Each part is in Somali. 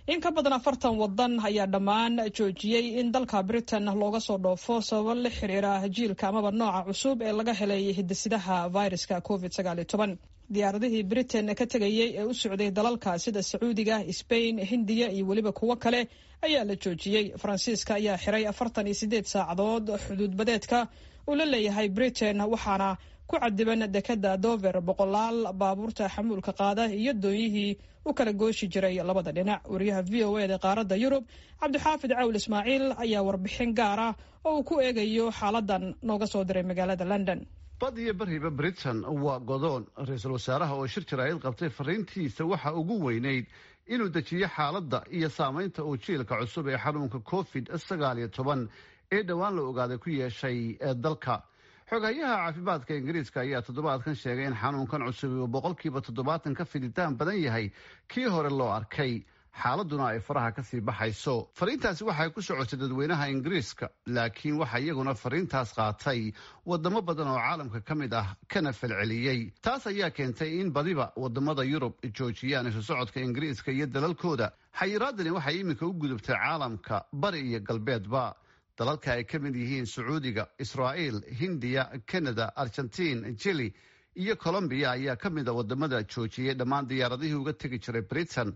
In ka badan 40 wadan ayaa dhammaan joojiyey in dalka Britain looga soo dhoofo sababo la xiriira jiilka amaba nooca cusub ee laga helay hidisidaha viruska COVID 19. Diyaaradihii Britain ka tegayey ee u socday dalalka sida Sacuudiga, Sbain, Hindiya iyo weliba kuwo kale ayaa la joojiyey. Faransiiska ayaa xiray 48 saacadood xuduudbadeedka uu la leeyahay Britain, waxaana ku cadiban dekada Dover boqolaal baabuurta xamuulka qaada iyo doonyihii u kala gooshi jiray labada dhinac. Wariyaha VOA da qaaradda Yurub, Cabdixaafid Cawl Ismaaciil, ayaa warbixin gaar ah oo uu ku eegayo xaaladan nooga soo diray magaalada London. Bad iyo bariba Britain waa godoon. Ra-iisul wasaaraha oo shir jaraa'id qabtay, fariintiisa waxa ugu weynayd inuu dejiyo xaaladda iyo saameynta uu jiilka cusub ee xanuunka COVID 19 ee dhowaan la ogaaday ku yeeshay dalka. Xogayaha caafimaadka Ingiriiska ayaa toddobaadkan sheegay in xanuunkan cusub uu 70% ka fiditaan badan yahay kii hore loo arkay, xaaladuna ay faraha kasii baxayso. Fariintaasi waxay ku socotay dadweynaha Ingiriiska, laakiin waxaa iyaguna fariintaas qaatay wadamo badan oo caalamka ka mid ah kana falceliyey. Taas ayaa keentay in badiba wadamada Yurub joojiyaan isu socodka Ingiriiska iyo dalalkooda. Xayiraadani waxay iminka u gudubtay caalamka bari iyo galbeedba. Dalalka ay ka mid yihiin Sacuudiga, Israa'iil, Hindiya, Canada, Argentiin, Jili iyo Colombiya ayaa ka mid a wadamada joojiyey dhammaan diyaaradihii uga tegi jiray Britain.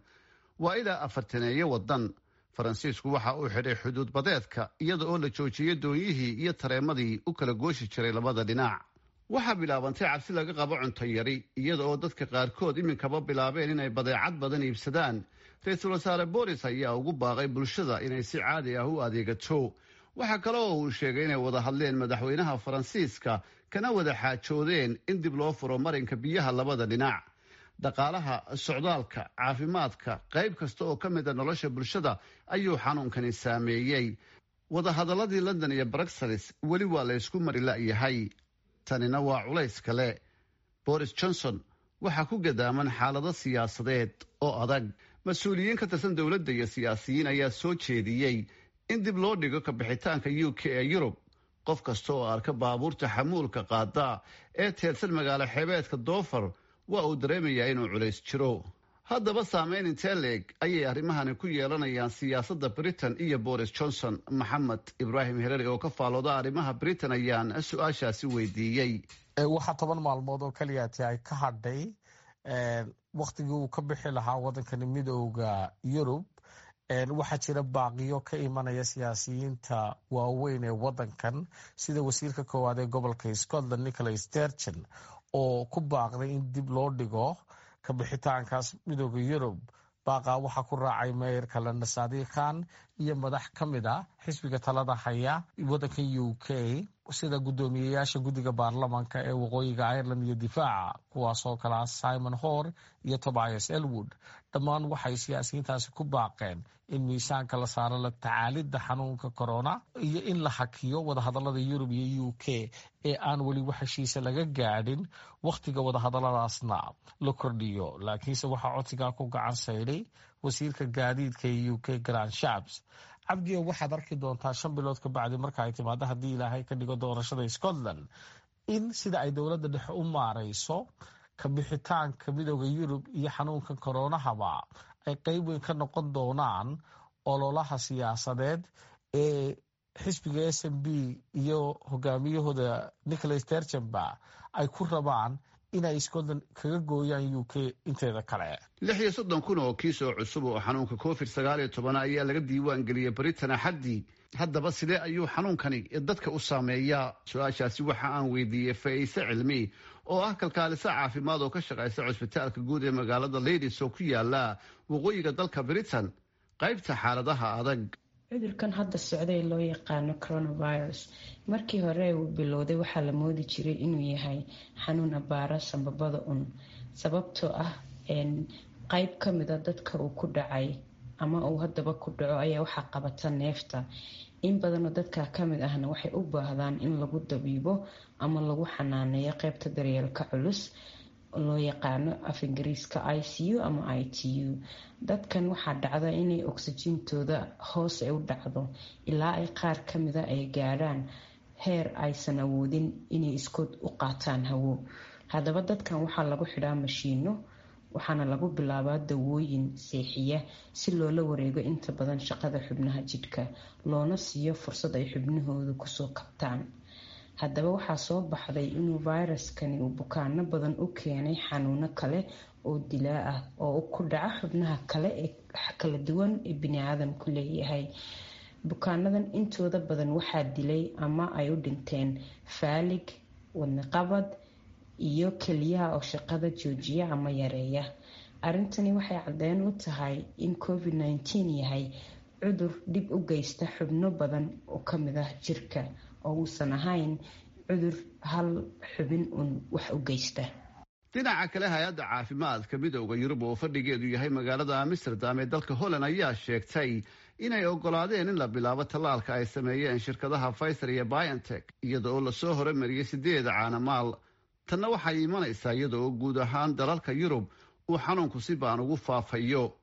Waa ilaa afartaneeyo wadan. Faransiisku waxa uu xidhay xuduud badeedka, iyada oo la joojiyey doonyihii iyo tareemadii u kala gooshi jiray labada dhinac. Waxaa bilaabantay cabsi laga qabo cunto yari, iyada oo dadka qaarkood iminkaba bilaabeen inay badeecad badan iibsadaan. Ra-iisul wasaare Boris ayaa ugu baaqay bulshada inay si caadi ah u adeegato. Waxaa kale oo uu sheegay inay wada hadleen madaxweynaha Faransiiska, kana wada xaajoodeen in dib loo furo marinka biyaha labada dhinac. Dhaqaalaha, socdaalka, caafimaadka, qayb kasta oo ka mid a nolosha bulshada ayuu xanuunkani saameeyey. Wadahadaladii London iyo Bruxelles weli waa la ysku mari la'yahay. Tanina waa culays kale. Boris Johnson waxaa ku gadaaman xaalado siyaasadeed oo adag. Mas-uuliyiin ka tirsan dowladda iyo siyaasiyiin ayaa soo jeediyey in dib loo dhigo kabixitaanka UK ee Yurub. Qof kasta oo arka baabuurta xamuulka qaada ee teedsan magaalo xeebeedka Dover waa uu dareemayaa inuu culays jiro. Haddaba, saameyn intee leeg ayay arrimahani ku yeelanayaan siyaasadda Britain iyo Boris Johnson? Maxamed Ibraahim Hereri oo ka faalooda arrimaha Britain ayaan su-aashaasi weydiiyey. Waxaa 10 maalmood oo keliyaati ay ka hadhay wakhtigii uu ka bixi lahaa wadankani Midooda Yurub. Waxaa jira baaqiyo ka imanaya siyaasiyiinta waaweyn ee wadankan, sida wasiirka koowaad ee gobolka Scotland, Nicola Sturgeon, oo ku baaqday in dib loo dhigo kabixitaankaas Midooda Yurub. Baaqaa waxaa ku raacay meeyarka London, Sadiq Khan, iyo madax ka mid a xisbiga talada haya wadankan UK, sida guddoomiyeyaasha guddiga baarlamanka ee Waqooyiga Ireland iyo difaaca, kuwaasoo kalaa Simon Hoare iyo Tobias Ellwood. Dhammaan waxay siyaasiyiintaasi ku baaqeen in miisaanka la saaro la tacaalidda xanuunka corona iyo in la hakiyo wadahadalada Yurub iyo UK ee aan weli wax heshiisa laga gaadhin, wakhtiga wadahadaladaasna la kordhiyo. Laakiinse waxaa codsigaa ku gacan sayday wasiirka gaadiidka ee UK, Grant Shapps. Cabdiyo, waxaad arki doontaa 5 bilood ka bacdi marka ay timaado, haddii Ilaahay ka dhigo, doorashada Scotland, in sida ay dowladda dhexe u maareyso kabixitaanka Midooda Yurub iyo xanuunka koronahaba ay qeyb weyn ka noqon doonaan ololaha siyaasadeed ee xisbiga SNP iyo hogaamiyahooda Nicola Sturgeon-ba ay ku rabaan inay Scotland kaga gooyaan UK inteeda kale. 36 kun oo kiis oo cusub oo xanuunka COVID 19 ayaa laga diiwaan geliyey Britain Axaddii. Haddaba, sidee ayuu xanuunkani dadka u saameeyaa? Su-aashaasi waxa aan weydiiyey Faiise Cilmi oo ah kalkaaliso caafimaad oo ka shaqaysa cusbitaalka guud ee magaalada Leeds oo ku yaala waqooyiga dalka Britain, qaybta xaaladaha adag. Cudurkan hadda socday loo yaqaano coronavirus, markii hore uu bilowday waxaa la moodi jiray inuu yahay xanuun abaara sambabada un, sababtoo ah qeyb kamida dadka uu ku dhacay ama uu haddaba ku dhaco ayaa waxaa qabata neefta. In badanoo dadka kamid ahna waxay u baahdaan in lagu dabiibo ama lagu xanaaneeyo qeybta daryeelka culus, loo yaqaano af Ingiriiska ICU ama ITU. Dadkan waxaa dhacda inay oksijiintooda hoos ay u dhacdo ilaa ay qaar kamida ay gaadhaan heer aysan awoodin inay iskood u qaataan hawo. Haddaba, dadkan waxaa lagu xidhaa mashiino. Waxaana lagu bilaabaa dawooyin seexiya si loola wareego inta badan shaqada xubnaha jidhka, loona siiyo fursad ay xubnahoodu kusoo kabtaan. Haddaba waxaa soo baxday inuu fayraskani uu bukaano badan u keenay xanuuno kale oo dilaa ah oo ku dhaca xubnaha kale ee kala duwan ee biniaadamku leeyahay. Bukaanadan intooda badan waxaa dilay ama ay u dhinteen faalig, wadnaqabad iyo keliyaha oo shaqada joojiya ama yareeya. Arrintani waxay caddeyn u tahay in COVID-19 yahay cudur dhib u geysta xubno badan oo kamid ah jirka, oo uusan ahayn cudur hal xubin uun wax u geysta. Dhinaca kale, hay-adda caafimaadka Midooda Yurub oo fadhigeedu yahay magaalada Amsterdam ee dalka Holland ayaa sheegtay inay ogolaadeen in la bilaabo tallaalka ay sameeyeen shirkadaha Pfizer iyo BioNTech, iyada oo lasoo horumariyey 8 caanamaal. Tanna waxay imanaysaa iyada oo guud ahaan dalalka Yurub uu xanuunku si baan ugu faafayo.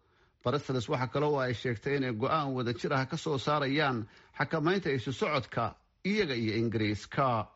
Brussels waxaa kale oo ay sheegtay inay go-aan wadajir ah ka soo saarayaan xakamaynta isu socodka iyaga iyo Ingiriiska.